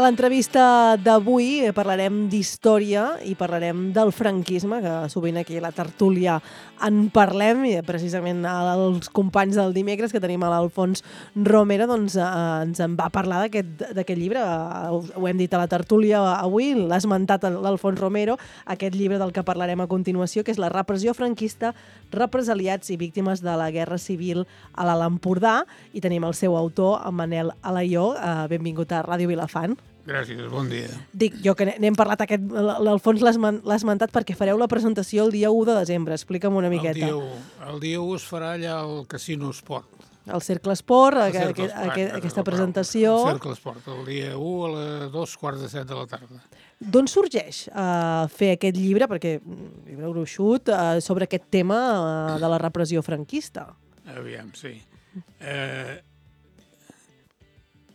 A l'entrevista d'avui parlarem d'història i parlarem del franquisme, que sovint aquí a la tertúlia en parlem, i precisament els companys del dimecres, que tenim a l'Alfons Romero, doncs ens en va parlar d'aquest llibre. Ho hem dit a la tertúlia avui, l'ha esmentat l'Alfons Romero, aquest llibre del que parlarem a continuació, que és La repressió franquista, represaliats i víctimes de la Guerra Civil a l'Alt Empordà, i tenim el seu autor, en Manel Alaió. Benvingut a Ràdio Vilafant. Gràcies, bon dia. Dic, jo que n'hem parlat, l'Alfons l'ha esmentat perquè fareu la presentació el dia 1 de desembre. Explica'm una miqueta. El dia 1 es farà allà al Casino Esport. El Cercle Esport, aquesta presentació. El Cercle Esport, el dia 1 a les 2:45 de la tarda. D'on sorgeix fer aquest llibre, perquè llibre gruixut, sobre aquest tema de la repressió franquista? Aviam, sí.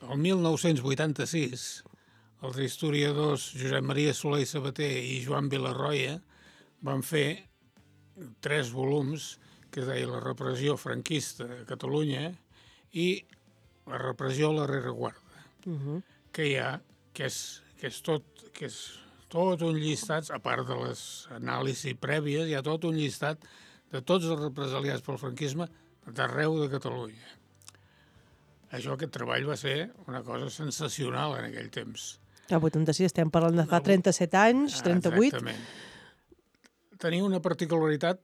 El 1986, els historiadors Josep Maria Soler i Sabater i Joan Vilarroia van fer 3 volums que es deia La repressió franquista a Catalunya i La repressió a la rereguarda, que és tot un llistat, a part de les anàlisis prèvies, hi ha tot un llistat de tots els represaliats pel franquisme d'arreu de Catalunya. Aquest treball va ser una cosa sensacional en aquell temps. A 86 estem parlant de fa 37 anys, 38. Exactament. Tenia una particularitat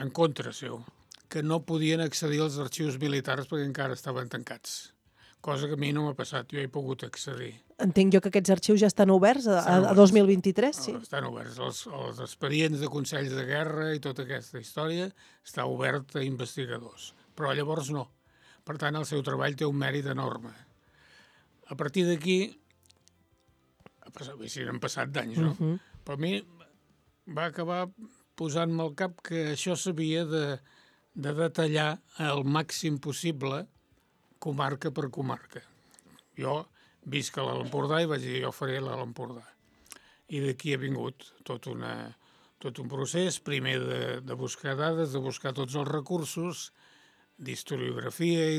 en contra seu, que no podien accedir als arxius militars perquè encara estaven tancats, cosa que a mi no m'ha passat, jo he pogut accedir. Entenc jo que aquests arxius ja estan oberts a 2023, sí? Estan oberts. Els expedients de consells de guerra i tota aquesta història està obert a investigadors, però llavors no. Per tant, el seu treball té un mèrit enorme. A partir d'aquí, han passat d'anys, no? Però a mi va acabar posant-me al cap que això s'havia de detallar al màxim possible, comarca per comarca. Jo visc a l'Alt Empordà i vaig dir, jo faré l'Alt Empordà. I d'aquí ha vingut tot un procés, primer de buscar dades, de buscar tots els recursos, d'historiografia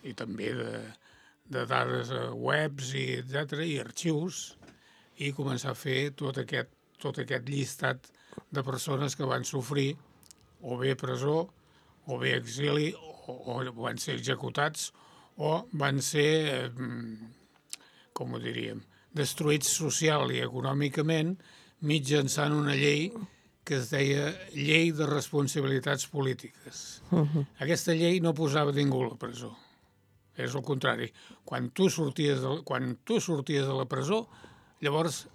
i també de dades webs i etcètera, i arxius, i començar a fer tot aquest llistat de persones que van sofrir o bé presó, o bé exili, o van ser executats, o van ser, com ho diríem, destruïts social i econòmicament mitjançant una llei que es deia Llei de Responsabilitats Polítiques. Aquesta llei no posava ningú a la presó. És el contrari. Quan tu sorties de la presó, llavors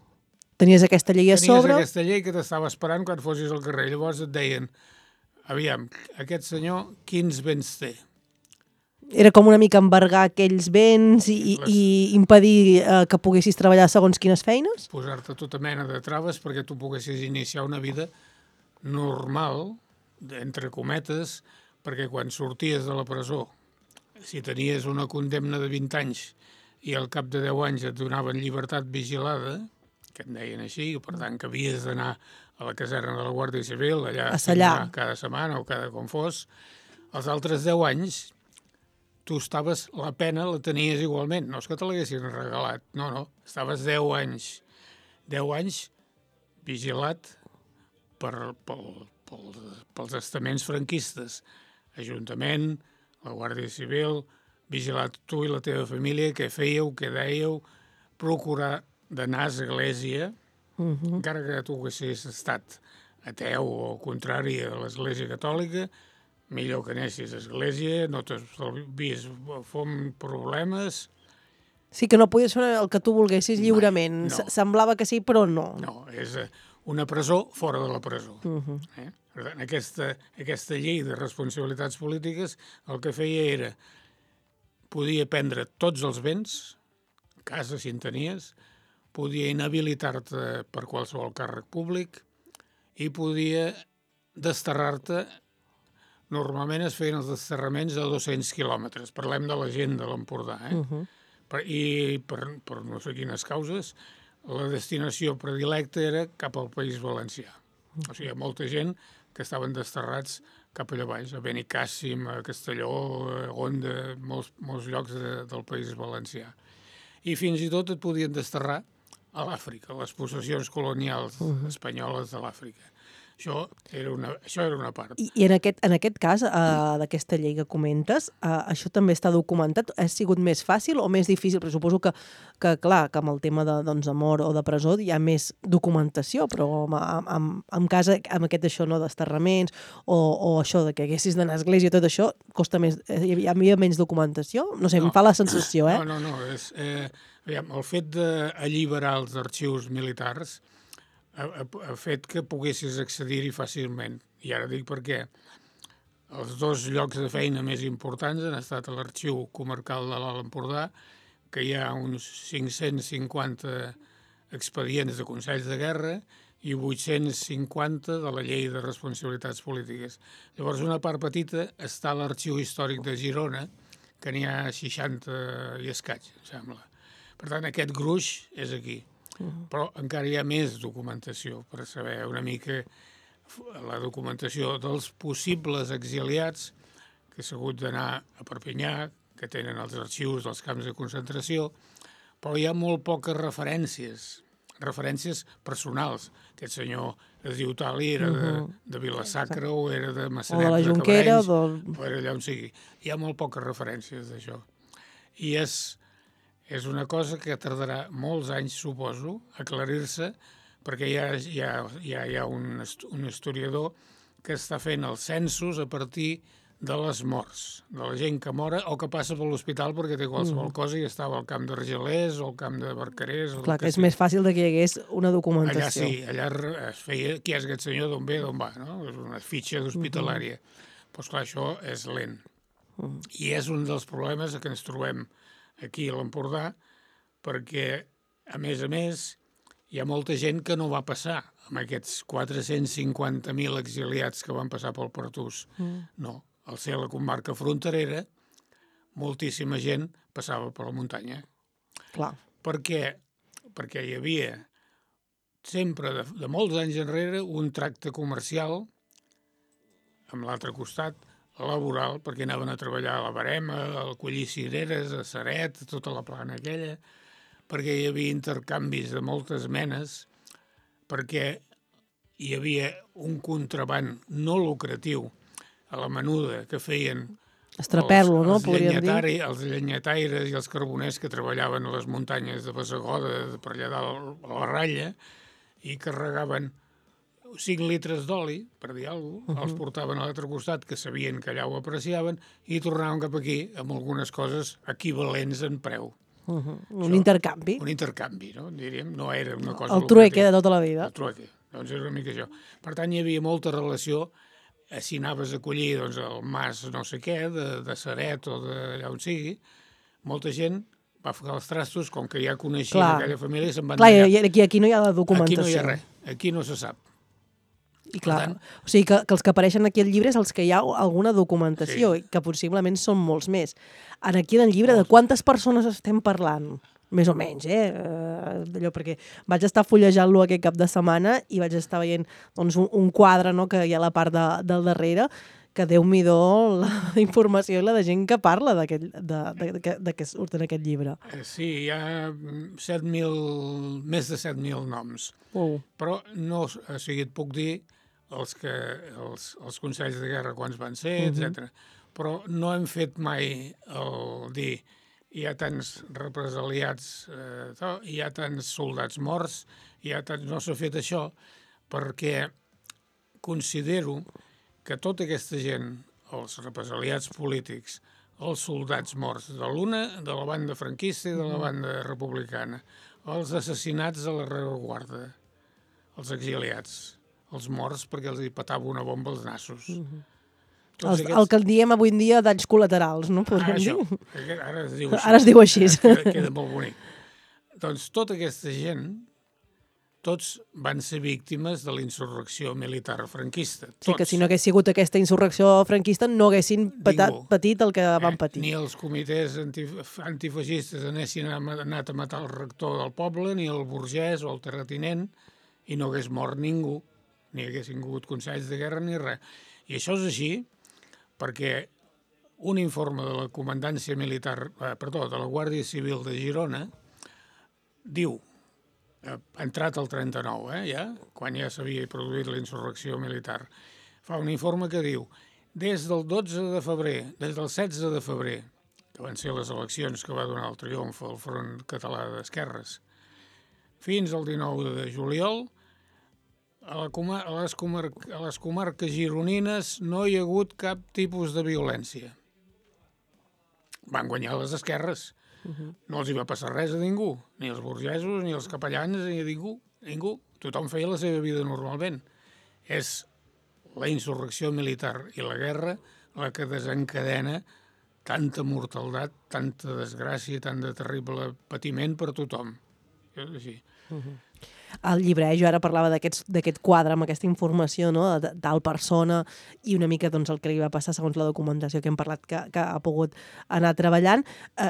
tenies aquesta llei a sobre. Tenies aquesta llei que t'estava esperant quan fossis al carrer. Llavors et deien, aviam, aquest senyor quins béns té? Era com una mica embargar aquells béns i impedir que poguessis treballar segons quines feines? Posar-te tota mena de traves perquè tu poguessis iniciar una vida normal, entre cometes, perquè quan sorties de la presó, si tenies una condemna de 20 anys i al cap de 10 anys et donaven llibertat vigilada, que en deien així, per tant que havies d'anar a la caserna de la Guàrdia Civil, allà cada setmana o cada com fos, els altres 10 anys la pena la tenies igualment, no és que te l'haguessin regalat, no, estaves 10 anys vigilat pels estaments franquistes, Ajuntament, la Guàrdia Civil, vigilat tu i la teva família, què fèieu, què dèieu, procurar d'anar a l'església, encara que tu haguessis estat ateu o contrari a l'església catòlica, millor que anessis a església, no t'estalvies problemes. Sí, que no podies fer el que tu volguessis lliurement. No. Semblava que sí, però no. No, és una presó fora de la presó. Per tant, aquesta llei de responsabilitats polítiques el que feia era podia prendre tots els béns, casa si en tenies, podia inhabilitar-te per qualsevol càrrec públic i podia desterrar-te. Normalment es feien els desterraments a 200 quilòmetres. Parlem de la gent de l'Empordà. I per no sé quines causes, la destinació predilecta era cap al País Valencià. O sigui, hi ha molta gent que estaven desterrats cap allà baix, a Benicàssim, a Castelló, a Onda, molts llocs del País Valencià. i fins i tot et podien desterrar a l'Àfrica, a les possessions colonials espanyoles de l'Àfrica. Això era una part. I en aquest cas, d'aquesta llei que comentes, això també està documentat? Ha sigut més fàcil o més difícil? Perquè suposo que clar, que amb el tema de mort o de presó hi ha més documentació, però en cas amb aquest això, no, desterraments o això de que haguessis d'anar a església, tot això, costa més, hi havia menys documentació? No sé, em fa la sensació, eh? No. El fet d'alliberar els arxius militars ha fet que poguessis accedir-hi fàcilment. I ara dic perquè els dos llocs de feina més importants han estat a l'Arxiu Comarcal de l'Alt Empordà, que hi ha uns 550 expedients de consells de guerra i 850 de la Llei de Responsabilitats Polítiques. Llavors, una part petita està a l'Arxiu Històric de Girona, que n'hi ha 60 i escaig, em sembla. Per tant, aquest gruix és aquí. Però encara hi ha més documentació per saber una mica la documentació dels possibles exiliats que s'ha hagut d'anar a Perpinyà, que tenen els arxius dels camps de concentració, però hi ha molt poques referències personals. Aquest senyor es diu tal i era de Vila-sacra o era de Massanet de Cabrenys, o era allà on sigui. Hi ha molt poques referències d'això. I és una cosa que tardarà molts anys, suposo, a aclarir-se, perquè hi ha un historiador que està fent els censos a partir de les morts, de la gent que mora o que passa per l'hospital perquè té qualsevol cosa i estava al camp d'Argelers o al camp de Barcarès. Clar, que és més fàcil que hi hagués una documentació. Allà es feia qui és aquest senyor, d'on ve, d'on va, no? És una fitxa d'hospitalària. Però, esclar, això és lent. I és un dels problemes que ens trobem aquí a l'Empordà, perquè, a més, hi ha molta gent que no va passar amb aquests 450.000 exiliats que van passar pel Pertús. No, al ser la comarca fronterera, moltíssima gent passava per la muntanya. Clar. Perquè hi havia sempre, de molts anys enrere, un tracte comercial amb l'altre costat, laboral, perquè anaven a treballar a la Barema, a collir cireres, a Ceret, tota la plana aquella, perquè hi havia intercanvis de moltes menes, perquè hi havia un contraband no lucratiu a la menuda que feien Estrapel·lo, no? Podríem dir. Els llenyataires i els carboners que treballaven a les muntanyes de Bassegoda, per allà dalt a la ratlla, i carregaven 5 litres d'oli, per dir alguna cosa, els portaven a l'altre costat, que sabien que allà ho apreciaven, i tornaven cap aquí amb algunes coses equivalents en preu. Un intercanvi. Un intercanvi, no? Diríem, no era una cosa... El trueque de tota la vida. El trueque, doncs era una mica això. Per tant, hi havia molta relació, si anaves a collir el mas no sé què, de Ceret o d'allà on sigui, molta gent va ficar els trastos, com que ja coneixia aquella família, se'n van allà. Clar, aquí no hi ha la documentació. Aquí no hi ha res, aquí no se sap. I clar, o sigui que els que apareixen aquí al llibre és els que hi ha alguna documentació, que possiblement són molts més. Aquí en el llibre, de quantes persones estem parlant? Més o menys, d'allò, perquè vaig estar fullejant-lo aquest cap de setmana i vaig estar veient un quadre, no?, que hi ha a la part del darrere, que Déu-n'hi-do la informació i la de gent que parla de que surt en aquest llibre. Sí, hi ha més de 7.000 noms. Però no, o sigui, et puc dir els consells de guerra quants van ser, etc. Però no hem fet mai el dir hi ha tants represaliats, hi ha tants soldats morts, no s'ha fet això perquè considero que tota aquesta gent, els represaliats polítics, els soldats morts, de la banda franquista i de la banda republicana, els assassinats a la rereguarda, els exiliats, els morts perquè els hi petava una bomba als nassos. El que en diem avui en dia danys col·laterals, no? Podríem dir? Ara es diu així. Ara es diu així. Queda molt bonic. Doncs tota aquesta gent, tots van ser víctimes de la insurrecció militar franquista. Sí, que si no hagués sigut aquesta insurrecció franquista no haguessin patit el que van patir. Ni els comitès antifeixistes haguessin anat a matar el rector del poble, ni el burgès o el terratinent, i no hagués mort ningú, ni haguessin hagut consells de guerra ni res. I això és així perquè un informe de la comandància militar, de la Guàrdia Civil de Girona, diu, entrat el 39, ja, quan ja s'havia produït la insurrecció militar, fa un informe que diu des del 12 de febrer, des del 16 de febrer, que van ser les eleccions que va donar el triomf al Front Català d'Esquerres, fins al 19 de juliol, a les comarques gironines no hi ha hagut cap tipus de violència. Van guanyar les esquerres. No els hi va passar res a ningú, ni els burgesos, ni els capellans, ni a ningú. Tothom feia la seva vida normalment. És la insurrecció militar i la guerra la que desencadena tanta mortaldat, tanta desgràcia, tant de terrible patiment per tothom. És així. El llibre, jo ara parlava d'aquest quadre amb aquesta informació, no? De tal persona i una mica doncs, el que li va passar segons la documentació que hem parlat que ha pogut anar treballant.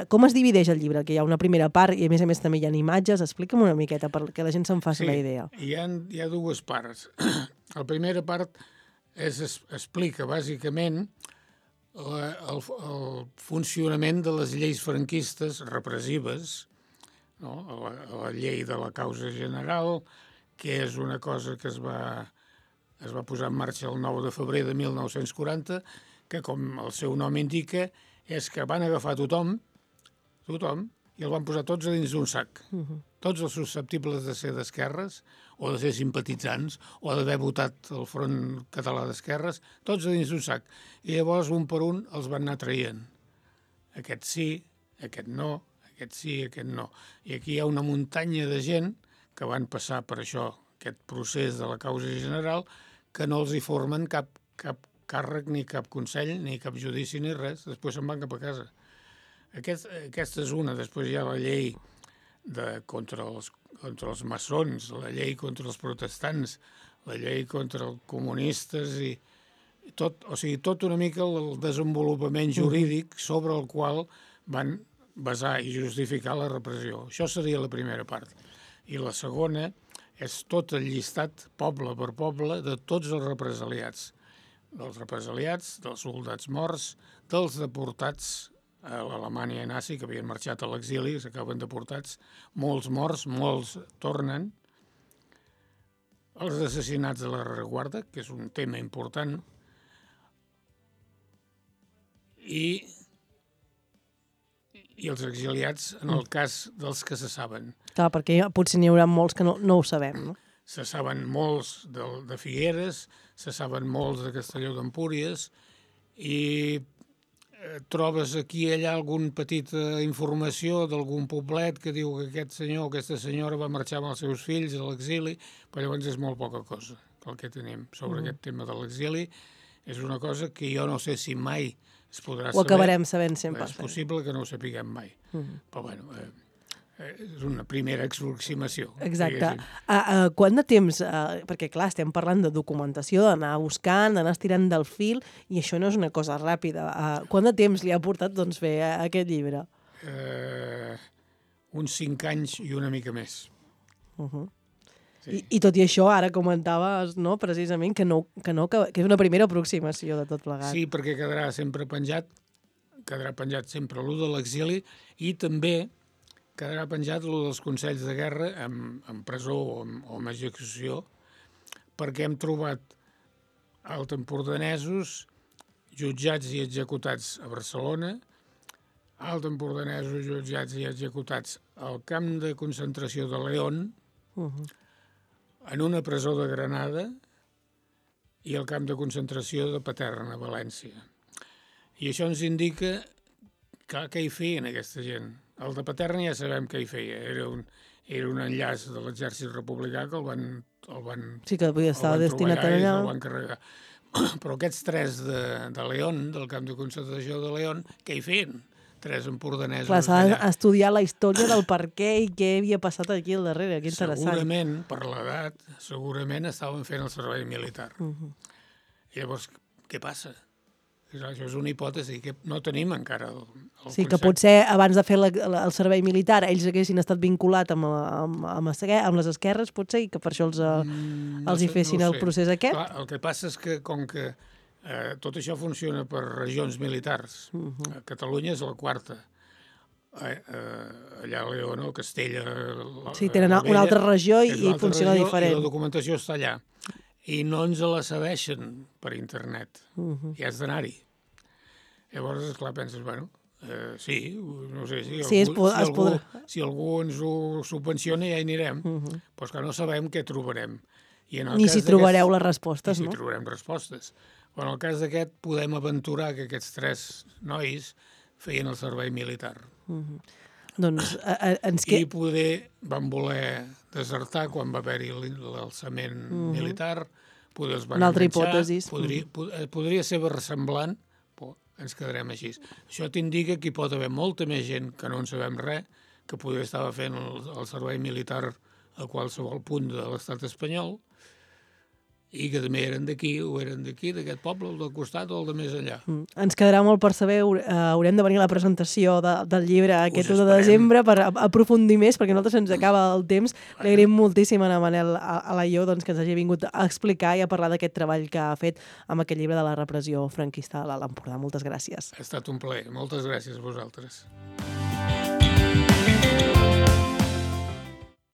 Com es divideix el llibre? Que hi ha una primera part i a més també hi ha imatges. Explica'm una miqueta perquè la gent se'n faci la idea. Hi ha dues parts. La primera part explica bàsicament el funcionament de les lleis franquistes repressives, no? La llei de la causa general, que és una cosa que es va posar en marxa el 9 de febrer de 1940, que, com el seu nom indica, és que van agafar tothom, i el van posar tots a dins d'un sac. Tots els susceptibles de ser d'esquerres, o de ser simpatitzants, o d'haver votat el Front Català d'Esquerres, tots a dins d'un sac. I llavors, un per un, els van anar traient. Aquest sí, aquest no, aquest sí, aquest no. I aquí hi ha una muntanya de gent que van passar per això, aquest procés de la causa general, que no els hi formen cap càrrec, ni cap consell, ni cap judici, ni res. Després se'n van cap a casa. Aquesta és una. Després hi ha la llei contra els maçons, la llei contra els protestants, la llei contra els comunistes i tot una mica el desenvolupament jurídic sobre el qual van basar i justificar la repressió. Això seria la primera part. I la segona és tot el llistat, poble per poble, de tots els represaliats. Dels represaliats, dels soldats morts, dels deportats a l'Alemanya nazi, que havien marxat a l'exili, s'acaben deportats, molts morts, molts tornen, els assassinats de la rereguarda, que és un tema important, i els exiliats en el cas dels que se saben. Clar, perquè potser n'hi haurà molts que no ho sabem, no? Se saben molts de Figueres, se saben molts de Castelló d'Empúries, i trobes aquí i allà alguna petita informació d'algun poblet que diu que aquest senyor o aquesta senyora va marxar amb els seus fills a l'exili, però llavors és molt poca cosa el que tenim sobre aquest tema de l'exili. És una cosa que jo no sé si mai es podrà saber. Ho acabarem sabent sempre. És possible que no ho sapiguem mai. Però bueno, és una primera aproximació. Exacte. Quant de temps, perquè clar, estem parlant de documentació, d'anar buscant, d'anar estirant del fil, i això no és una cosa ràpida. Quant de temps li ha portat doncs, fer aquest llibre? Uns 5 anys i una mica més. Sí. I tot i això, ara comentaves, no, precisament, que és una primera aproximació de tot plegat. Sí, perquè quedarà penjat sempre l'u de l'exili i també quedarà penjat l'u dels consells de guerra en presó o en execució, perquè hem trobat altempordanesos jutjats i executats a Barcelona, altempordanesos jutjats i executats al camp de concentració de León, en una presó de Granada i al camp de concentració de Paterna, a València. I això ens indica què hi feien aquesta gent. El de Paterna ja sabem què hi feia. Era un enllaç de l'exèrcit republicà que el van sí, que estava destinat allà. El van carregar. Però aquests 3 de León, del camp de concentració de León, què hi feien? 3 empordanesos. Clar, s'ha d'estudiar la història del per què i què havia passat aquí al darrere. Que interessant. Segurament, per l'edat, estaven fent el servei militar. Llavors, què passa? Això és una hipòtesi que no tenim encara el sí, que potser abans de fer el servei militar ells haguessin estat vinculats amb les esquerres, potser, i que per això els hi fessin el procés aquest. Clar, el que passa és que, com que tot això funciona per regions militars, Catalunya és la 4ª, allà a León o Castella. Sí, tenen una altra regió i funciona diferent. I la documentació està allà. I no ens la cedeixen per internet. I has d'anar-hi. Llavors, esclar, penses, bueno, sí, no sé, si algú ens ho subvenciona ja hi anirem, però és que no sabem què trobarem. Ni si trobareu les respostes, no? No? Ni si trobarem respostes. Però en el cas d'aquest podem aventurar que aquests 3 nois feien el servei militar. Doncs I poder van voler desertar quan va haver-hi l'alçament militar, poder els van enganxar. Una altra hipòtesi. Podria ser versemblant, però ens quedarem així. Això t'indica que hi pot haver molta més gent que no en sabem res, que poder estava fent el servei militar a qualsevol punt de l'estat espanyol, i que també eren d'aquí, o eren d'aquí, d'aquest poble, o del costat, o el de més enllà. Ens quedarà molt per saber, haurem de venir a la presentació del llibre aquest 1 de desembre per aprofundir més, perquè a nosaltres se'ns acaba el temps. Li agraïm moltíssim a Manel Alaió que ens hagi vingut a explicar i a parlar d'aquest treball que ha fet amb aquest llibre de la repressió franquista a l'Alt Empordà. Moltes gràcies. Ha estat un plaer. Moltes gràcies a vosaltres.